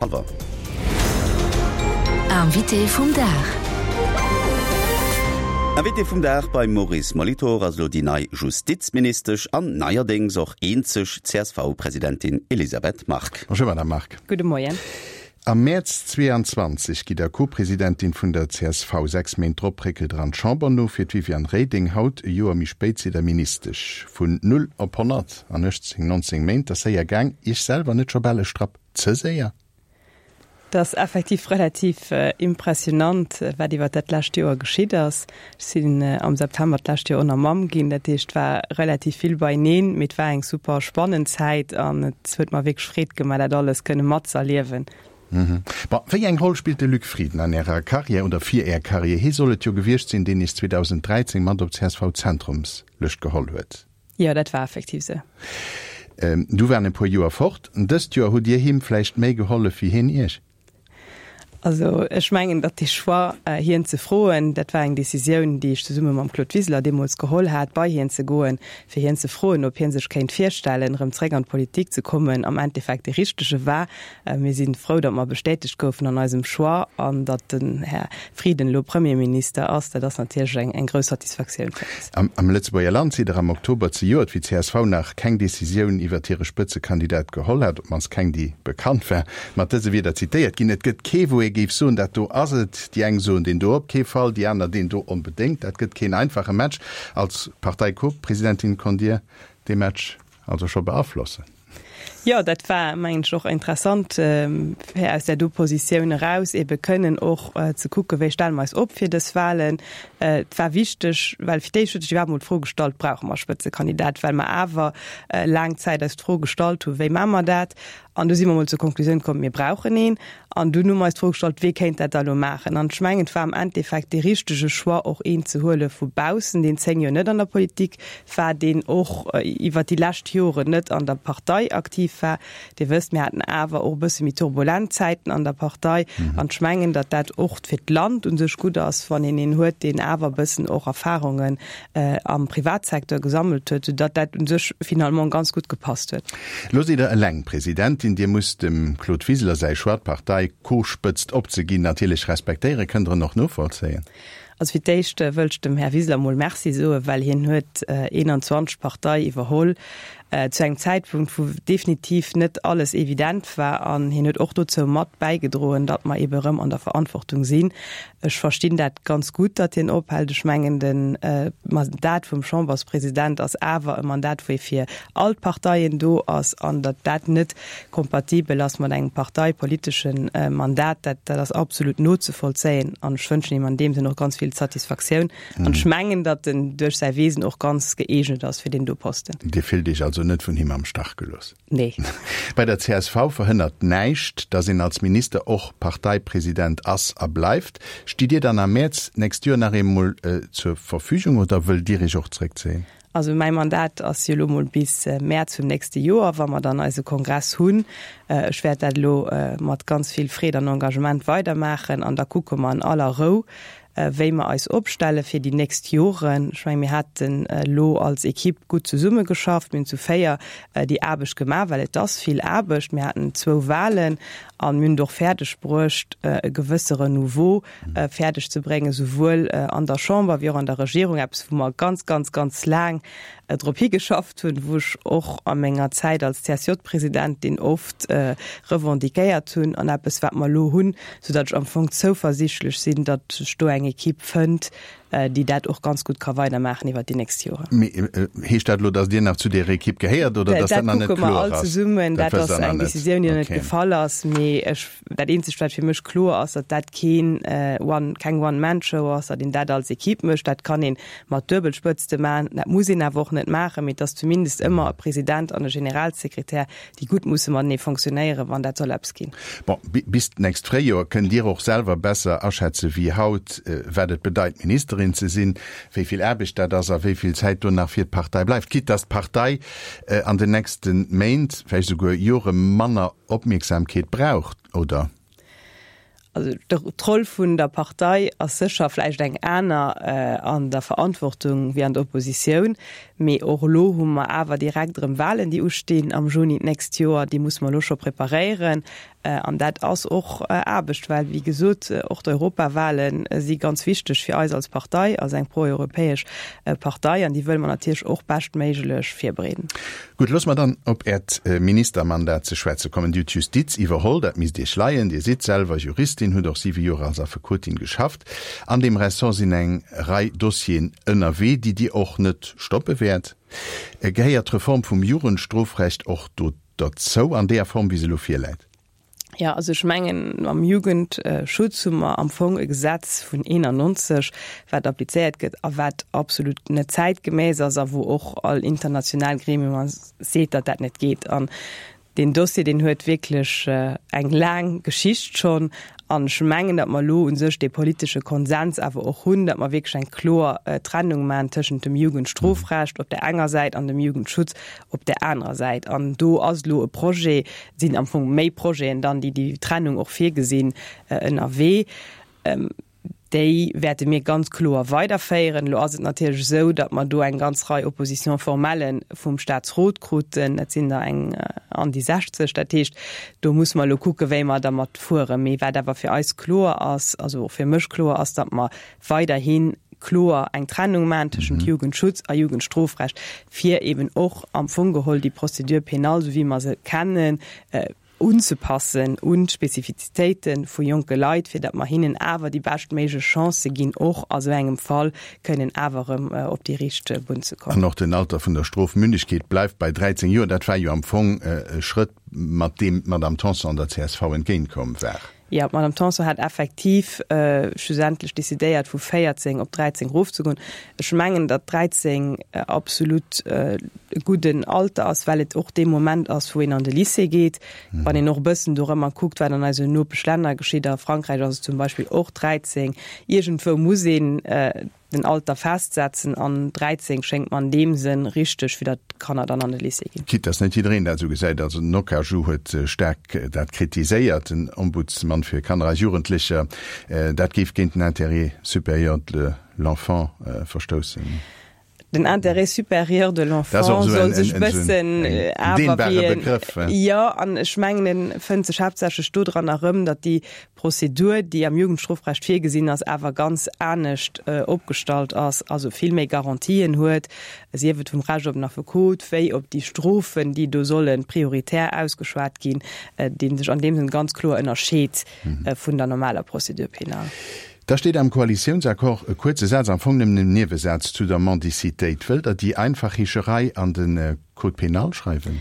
Awer. Invité vum Dag. Invité vum Dag beim Maurice Molitor ass elo déi nei Justizministesch an neierdéngs och eenzeg CSV-Presidentin Elisabeth Margue. Bonjour Madame Margue. Gudde Moien. Am Mäerz 22 gitt der Co-Presidentin vun der csv. 6 Méint drop réckelt der an d'Chamber no fir d'Viviane Reding. Haut, e Joer méi spéit, sidd der Ministesch. Vun 0 op 100 an 18, 19 Méint, ass séier gaang. Iech selwer net scho bal e Strapp Ze séier? Et ass effektiv relativ impressionant, wat iwwert dat lescht Joer geschitt ass. Ech sinn am September d'lescht Joer och nach Mamm ginn, dat heescht, et war relativ vill beineen, mee et war eng super spannend Zäit an et huet mer wierklech Freed gemaach, dat alles kënne matzerliewen. Bon, wéi eng Roll spillt de Luc Frieden an Ärer Karriär oder fir Är Karriär? Hie soll et jo gewiescht sinn, deen Iech 2013 mat op d'CSV-Zentrumslëscht geholl huet. Jo, dat war effektiv sou. Du waren e puer Joer fort. Dëst Joer hutt Dir him vläicht méi gehollef wéi hien Iech? Also ech mengen, datt dee Choix, hien ze froen, dat war eng Decisioun, déi ech zesumme mam Claude Wiseler deemools geholl hat, bei hien ze goen, fir hien ze froen, ob hie sech kéint virstellen, erëm zréck an d'Politik ze kommen, am Endeffekt dee richtege war. Mir si frou, datt mer bestätegt goufen an eisem Choix an datt den Här Frieden elo Premierminister ass. Dat ass natierlech eng grouss Satisfaktioun fir eis. Am Lëtzebuerger Land sidd Der am Oktober zejoert, wéi d'CSV nach keng Decisioun iwwert hire Spëtzekandidat geholl hat, op d'mannst keng, déi bekannt war, mat dëse Wierder zitéiert ginn, Et gëtt kee, wou ee géif soen, dat do ass et. Déi eng soen, deen do op kee Fall, déi aner, deen do onbedéngt. Dat gëtt keen einfache Match. Als Partei-Co-Presidentin konnt Dir dee Match also scho beaflossen. Jo, dat war, mengen ech, och interessant, fir aus där do Positioun eraus ebe kënnen och ze kucken, wéi stelle mer eis op fir dës Wahlen. Et war wichteg, well fir d'éischt huet sech iwwerhaapt emol d'Fro gestallt, Brauche mer e Spëtzekandidat? Well mer awer laang Zäit eis d'Fro gestallt hunn, Wéi maache mer dat? An du si mer emol zur Konklusioun komm, Mir brauchen een. An dunn hu mer eis d'Fro gestallt, Wee kéint dat da elo maachen? An ech mengen, et war am Endeffekt dee richtege Choix, och een ze huele vu baussen, deen 10 Joer net an der Politik war, deen och iwwert déi lescht Joren net an der Partei aktiv war. Dir wësst, mir haten awer och e bësse méi turbulent Zäiten an der Partei. An ech mengen, datt dat och fir d'Land u sech gutt ass, wann een een huet, deen awer e bëssen och Erfahrungen am Privatsecteur gesammelt huet, soudatt dat u sech finalement ganz gutt gepasst huet. Elo sidd Der eleng Presidentin. Dir musst dem Claude Wiseler säi Choix, d'Partei Co-Spëtzt opzeginn, natierlech respektéieren. Kënnt Der en och novollzéien? Also fir d'éischt wëllt ech dem Här Wiseler mol Merci soen, well hien huet 21 d'Partei iwwerholl zu engem Zäitpunkt, wou definitiv net alles evident war. An hien huet och dozou mat bäigedroen, datt mer eebe erëm an der Verantwortung sinn. Ech verstinn dat ganz gutt, datt hien ophält. Ech mengen, de Mandat vum Chamberspresident ass awer e Mandat, wou ee fir all d'Parteien do ass, an datt dat net kompatibel ass mat engem parteipolitesche Mandat, dat dat ass absolut nozevollzéien. An ech wënschen him an deem Sënn och ganz vill Satisfaktioun. An ech mengen, datt en duerch säi Wesen och ganz gëeegnet ass fir deen do Posten. Dir fillt Iech also net vun him am Stach gelooss? Nee. Bei der csv verhënnert näischt, datt een als Minister och Parteipresident ass a bleift. Stitt Dir dann am Mäerz d'nächst Joer nach eemol zur Verfügung oder wëllt Dir Iech och zréckzéien? Also mäi Mandat ass jo elo mol bis Mäerz vum nächste Joer, wa mer dann eise Kongress hunn. Ech wäert dat elo mat ganz vill Freed an Engagement weidermaachen an da kucke mer an aller Rou, wéi mer eis opstelle fir déi nächst Joren. Ech mengen, mir haten elo als Equipe gutt zesummegeschafft. Mir hunn zu 4 déi Aarbecht gemaach, well et ass vill Aarbecht. Mir haten zwou Wahlen an mir hunn et och fäerdeg bruecht, e gewësse Renouveau fäerdeg ze bréngen, souwuel an der Chamber wéi och an der Regierung, eppes wou mer ganz, ganz, ganz laang drop higeschafft hunn, wou ech och a menger Zäit als CSJ-Presidentin oft revendiquéiert hunn an eppes wat mer elo hunn, soudatt ech am Fong zouversichtlech sinn, datt sech do eng Equipe fënnt, déi dat och ganz gutt ka weidermaachen iwwert déi nächst Joren. Mee heescht dat elo, datt Dir nach zu deer Equipe gehéiert oder datt dat nach net kloer ass? Dat kucke mer all zesummen. Dat ass eng Decisioun, déi nach net gefall ass. Mee ech, dat eenzegt wat fir mech kloer ass, datt dat keen One, keng One-Man-Show ass, datt een dat als Equipe mécht. Dat kann een mat Duebelspëtzte maachen, dat muss een awer och net maachen, mee et ass zumindest ëmmer e President an e Generalsekretär, déi gutt musse matenee fonctionnéieren, wann dat soll eppes ginn. Bon, bis d'nächst Fréijoer kënnt Dir och selwer besser aschätze wéi haut, wat et bedeit, Ministerin ze sinn, wéi vill Aarbecht dat ass a wéi vill Zäit do nach fir d'Partei bleift. Quitte dass d'Partei an den nächste Méint, vläicht esouguer Jore manner Opmierksamkeet brauch, oder? Also d'Roll vun der Partei ass sécher vläicht eng aner an der Verantwortung wéi an der Oppositioun. Mee och elo hu mer awer direkt erëm Wahlen, déi ustinn am Juni d'nächst Joer. Déi musse mer elo scho preparéieren. An dat ass och Aarbecht, well, wéi gesot, och d'Europawale si ganz wichteg fir eis als Partei, als eng proeuropäesch Partei, an déi wëlle mer natierlech och beschtméiglech virbereeden. Gutt, loosse mer dann op Äert Ministermandat ze schwätze kommen. Dir hutt d'Justiz iwwerholl, dat misst Iech leien. Dir sidd selwer Juristin, hutt och siwe Joer als Affekotin geschafft. An deem Ressort sinn eng Rei Dossieren ënnerwee, déi Dir och net stoppe wäert. Gehéiert d'Reform vum Jugendstrofrecht och do derzou, an deeër Form, wéi se elo virläit? Jo, also ech mengen, am Jugendschutz hu mer am Fong e Gesetz vun 91, wat applizéiert gëtt a wat absolut net zäitgemäss ass a wou och all international Gremium seet, datt dat net geet. An Deen Dossier, deen huet wierklech eng laang Geschicht schonn. An ech mengen, datt mer elo u sech dee politesche Konsens awer och hunn, datt mer wierklech eng kloer Trennung maachen tëschent dem Jugendstrofrecht op där enger Säit an dem Jugendschutz op där anerer Säit. An do ass elo e Projet, et sinn am Fong méi Projeten dann, déi déi Trennung och virgesinn, ënnerwee. Déi wäerte mir ganz kloer weiderféieren. Elo ass et natierlech esou, datt mer do eng ganz Rei Opposition-formellen vum Statsrot kruten. Dat sinn der eng an déi 60. Dat heescht, do musse mer elo kucken, wéi mer dermat fueren. Mee wat awer fir eis kloer ass, also och fir mech kloer ass, datt mer weiderhi kloer eng Trennung maachen tëschent Jugendschutz a Jugendstrofrecht, fir eben och am Fong geholl déi Procédure pénale, esou wéi mer se kennen, unzepassen un d'Spezifizitéite vu jonke Leit, fir datt mer hinnen awer déi beschtméiglech Chancë ginn, och a sou engem Fall kënnen awer erëm op déi riicht Bunn ze kommen. An och den Alter vun der Strofmündegkeet bleift bei 13 Joer. Dat war jo am Fong e Schrëtt, mat deem d'Madame Tanson der csv entgéintkomm war. Jo, d'Madame Tanson hat effektiv schlussendlech decidéiert, vu 14 op 13 erofzegoen. Ech mengen, datt 13 absolut e gudden Alter ass, well et och dee Moment ass, wou een an de Lycée geet. Wann een och e bëssen dorëmmer kuckt, wat an eisen Nopeschlänner geschitt, a Frankräich ass et zum Beispill och 13. Iergendwou muss een den Alter festsetzen an 13 schéngt mer an deem Sënn richteg, fir datt d'Kanner dann an de Lycée ginn. Quitte dass net jiddereen dat esou gesäit, also den Okaju huet staark dat kritiséiert, den Ombudsmann fir Kanner a Jugendlecher, dat géif géint den Intérêt supérieur de l'enfant verstoussen. Den Intérêt supérieur de l'enfant soll sech bëssen awer wéi en, jo, an ech mengen en fënnt sech haaptsächlech dodran erëm, datt déi Prozedur, déi am Jugendstrofrecht virgesinn ass, awer ganz anescht opgestallt ass, also vill méi Garantien huet, sief et vum Recht op en Affekot, wéi op déi Strofen, déi do solle prioritär ausgeschwat ginn, dee sech an deem Sënn ganz kloer ënnerscheet vun der normaler Procédure pénale. Da steet am Koalitiounsaccord e kuerze Saz, am Fong nëmmen en Niewesaz, zu der Mendicitéit. Wëllt Der déi einfach Heescherei an de Code pénal schreiwen?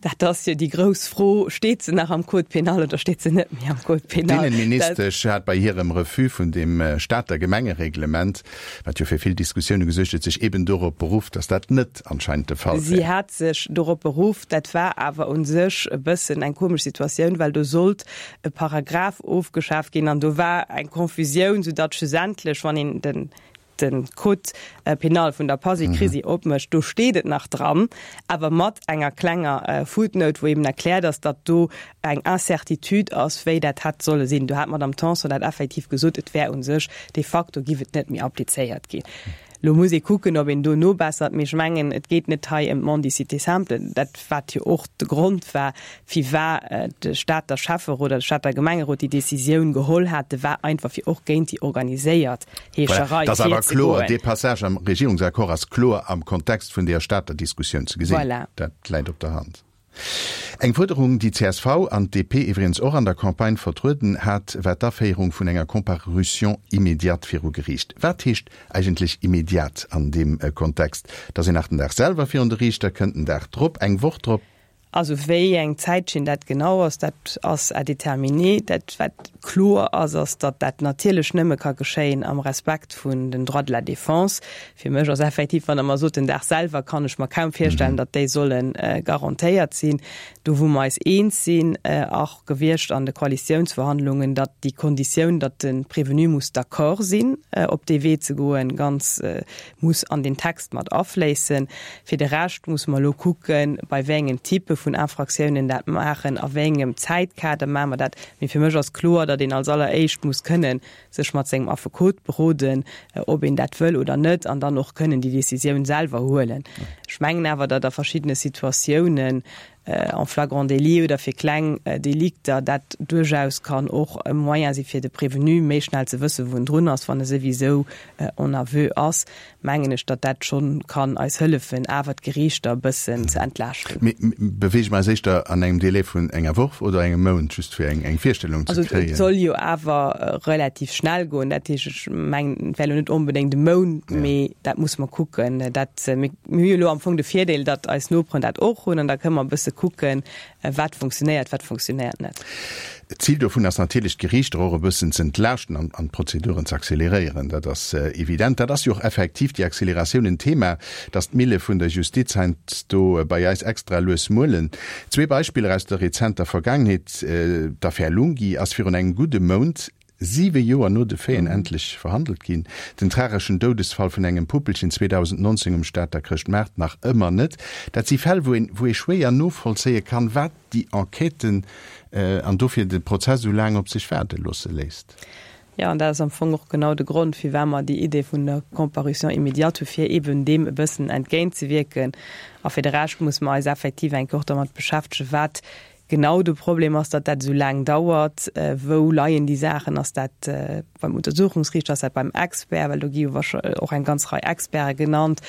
Dat ass jo déi grouss Fro, Steet se nach am Code pénal oder steet se net méi am Code pénal? D'Innenministesch hat bei hirem Refus vun dem Stater Gemengereglement, wat jo fir vill Diskussioune gesuergt huet, sech eben dorop beruff, datt dat net anscheinend de Fall wär. Si hat sech dorop beruff. Dat war awer u sech e bëssen eng komesch Situatioun, well do sollt e Paragraph ofgeschaaft ginn an do war eng Confusioun, soudatt schlussendlech, wann een den de Code pénal vun der Pasikrisi opmécht, do steet et nach dran, awer mat enger klenger Footnote, wou eben erkläert ass, datt do eng Incertitude ass, wéi dat hätt solle sinn. Do hat d'Madame Tanson dat effektiv gesot, et wär u sech de facto giff et net méi applizéiert ginn. Elo muss ee kucken, ob een do nobessert, mee ech mengen, et geet net hei ëm d'Mendicité simple, dat wat jo och de Grond war, firwat de Stater Schäfferot oder de Stater Gemengerot déi Décisioun geholl hate, war einfach fir och géint déi organiséiert Heescherei Voilà, dat ass awer kloer, virzegoen. Dee Passage am Regierungsaccord ass kloer am Kontext vun deeër Stater Diskussioun ze gesinn. Voilà. Dat läit op der Hand. Eng Fuerderung, déi csv an d'DP iwwregens och an der Campagne vertrueden hat, war d'Aféierung vun enger Comparution immédiate viru Geriicht. Wat heescht eigentlech immédiate an deem Kontext? Dass een nach den Dag selwer virun de Riichter kënnt, den Dag drop, eng Woch drop? Also wéi eng Zäitschinn dat genau ass, dat ass à déterminer. Dat wat kloer ass, ass, datt dat natierlech nëmme ka geschéien am Respekt vun den Droits de la défense. Fir mech ass effektiv, wann Der mer sot den Dag selwer, kann ech mer kaum virstellen, datt déi solle garantéiert sinn. Do wou mer eis eens sinn, och gewiescht an de Koalitiounsverhandlungen, datt déi Konditioun, datt de Prévenu muss d'accord sinn, op dee Wee ze goen, ganz muss an deen Text mat afléissen. Fir de Rescht musse mer elo kucken, bei wéi engen Type vun Infractiounen dat maachen, a wéi engem Zäitkader maache mer dat. Mee fir mech ass kloer, datt een als alleréischt muss kënnen sech mat sengem Affekot beroden, ob een dat wëll oder net, an dann och kënnen déi Décisioun selwer huelen. Ech mengen awer, datt a verschiddene Situatiounen. En flagrant délit oder fir kleng Delikter dat duerchaus kann och e Moyen si fir de Prévenu méi schnell ze wëssen, wou en drun ass, wann e souwisou en aveu ass, mengen ech, datt dat schonn kann eis hëllefen, awer d'Geriichter e bëssen ze entlaaschten. Mee beweege mer eis éischter an engem Délai vun enger Woch oder engem Mount, just fir eng Virstellung ze kréien? Also et soll jo awer relativ schnell goen. Dat heescht, ech mengen, et wär elo net onbedéngt e Mount, mee dat musse mer kucken. Dat, mir hu jo elo am Fong de Virdeel, datt eis Noperen dat och hunn an da kënne mer e bësse kucken, Wat funktionéiert, wat funktionéiert net? D'Zil dovun ass natierlech, d'Geriichter och e bëssen ze entlaaschten an d'Prozeduren ze acceleréieren. Dat ass evident. Dat ass jo och effektiv, déi Acceleratioun, en Thema, dass d'Mille vun der Justiz heiansdo bei eis extra lues muelen. Zwee Beispiller aus der rezenter Vergaangenheet, D'Affär Lunghi ass virun engem gudde Mount Siwe Joer no de Faiten endlech verhandelt ginn. Den trageschen Doudesfall vun engem Puppelchen 2019 um Stater Chrëschtmaart nach ëmmer net. Dat si Fäll, wou een, wou ee schwéier novollzéie kann, wat déi Enquêten an dofir de Prozess esou laang op sech waarde loosse léisst. Jo, an dat ass am Fong och genau de Grond, firwat mer déi Idee vun der Comparution immédiate hu fir eeben deem e bëssen entgéintzewierken. A fir de Rescht musse mer eis effektiv eng Kéier och dermat beschäftegen, wat Genau de Problem ass, datt dat esou laang dauert. Wou leien déi Saachen? Ass dat beim Untersuchungsriichter, ass dat beim Expert? Well do gi jo och eng ganz Rei Experte genannt.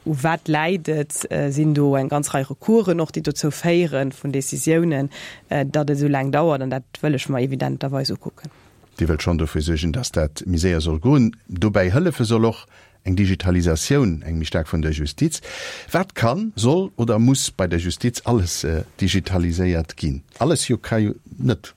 U wat läit et? Sinn do eng ganz Rei Recoursen och, déi dozou féieren, vun Décisiounen, datt et esou laang dauert? An dat wëll ech mer evidenterweis ukucken. Dir wëllt schonn dofir suergen, datt dat méi séier soll goen. Dobäi hëllefe soll och Eng Digitalisatioun, eng méi staark vun der Justiz. Wat kann, soll oder muss bei der Justiz alles digitaliséiert ginn? Alles jo ka jo net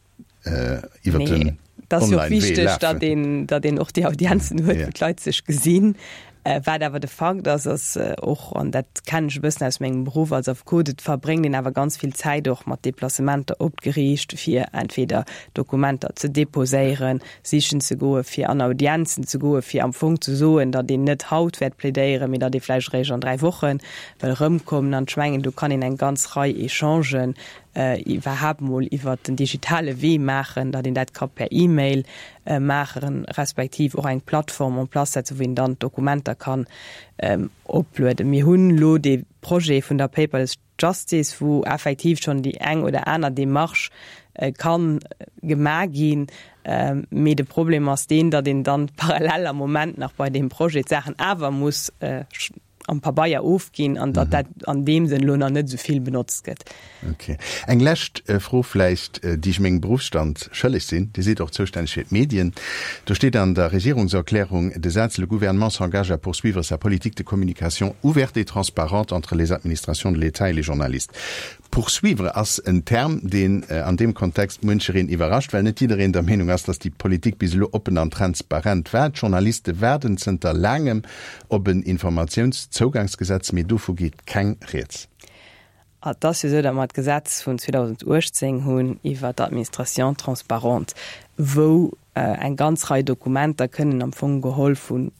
iwwer den Nee, et ass jo och Online-Wee wichteg, lafen. datt een, datt een och déi Audienzen huet, wou d'Leit sech gesinn. Wat awer de Fakt ass, ass och, an dat kennen ech e bëssen aus mengem Beruff als Affekot, et verbréngt een awer ganz vill Zäit och mat Deplacementer op d'Geriicht, fir entweder Dokumenter ze deposéieren, sichen ze goen, fir an Audienzen ze goen, fir am Fong ze soen, datt een net haut wäert plädéieren, mee datt ee vläicht eréischt an 3 Woche wëll erëmkommen. An ech mengen, do kann een eng ganz Rei Echangen iwwerhaapt mol iwwert den digitale Wee maachen, datt een dat ka per E-Mail maachen, respektiv och eng Plattform en place setzen, wou een dann d'Dokumenter kann oplueden. Mir hunn elo dee Projet vun der Paperless Justice, wou effektiv schonn déi eng oder aner Démarche ka gemaach ginn. Mee de Problem ass deen, datt een dann parallel am Moment nach bei deem Projet d'Saachen awer muss am Pabeier ofginn an datt dat an deem Sënn elo nach net esou vill benotzt gëtt. Ok. Eng lescht Fro vläicht, déi ech mengem Beruffsstand schëlleg sinn. Dir sidd och zoustänneg fir d'Medien. Do steet an der Regierungserklärung de Saz, Le Gouvernement s'engage à poursuivre sa politique de communication ouverte et transparente entre les administrations de l'État et les journalistes. Poursuivre ass en Term, deen an deem Kontext muenchereen iwwerrascht, well net jiddereen der Meenung ass, datt déi Politik bis elo oppen an transparent war. D'Journaliste waarden zënter laangem op en Informatiounszougangsgesetz, mee dovu geet keng Rieds. Et ass jo esou, datt mer d'Gesetz vun 2018 hunn iwwert d'Administration transparente, wou eng ganz Rei Dokumenter kënnen am Fong geholl vun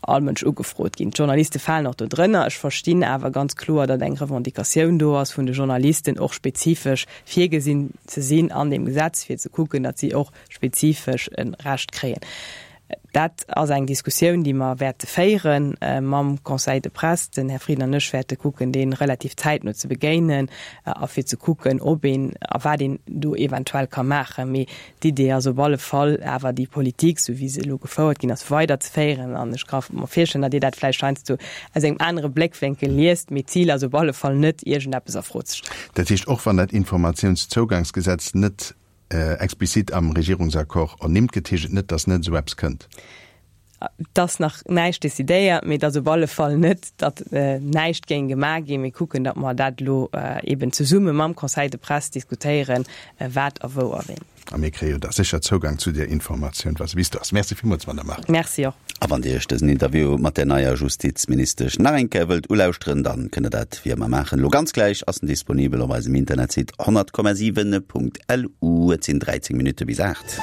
all Mënsch ugefrot ginn. D'Journaliste falen och do drënner. Ech verstinn awer ganz kloer, datt eng Revendicatioun do ass vun de Journalisten, och spezifesch virgesinn ze sinn an deem Gesetz, fir ze kucken, datt si och spezifesch e Recht kréien. Dat ass eng Diskussioun, déi mer wäerte féiere mam Conseil de presse. Den Här Frieden an ech wäerte kucken, dee relativ zäitno ze begéinen a fir ze kucken, ob een a wat een do eventuell ka maachen. Mee d'Idee ass op alle Fall awer, déi Politik, esou wéi se elo gefouert ginn ass, weiderzeféieren. An ech ka mer virstellen, datt Dir dat vläicht heiansdo aus engem anere Bléckwénkel liest. Mee d'Zil ass op alle Fall net, iergendeppes a Fro ze stellen. Dat heescht, och wann dat Informatiounszougangsgesetz net explizit am Regierungsaccord ernimmt gëtt, heescht et net, datt net esou eppes kënnt. Et ass nach näischt decidéiert, mee et ass op alle Fall net, datt näischt géing gemaach ginn. Mir kucken, datt mer dat elo eeben zesumme mam Conseil de presse diskutéieren, wat a wou a wéini. A mir kréie jo da sécher Zougang zu där Informatioun, wa se bis do ass. Merci villmools, Madamm Margue. Merci och. A wann Dir Iech dësen Interview mat der neier Justizministesch nach eng Kéier wëllt ulauschteren, dann kënnt Der dat wéi ëmmer maachen. Elo ganz gläich ass en disponibel op eisem Internetsite 100,7.lu. Et sinn 13 Minutte bis 8.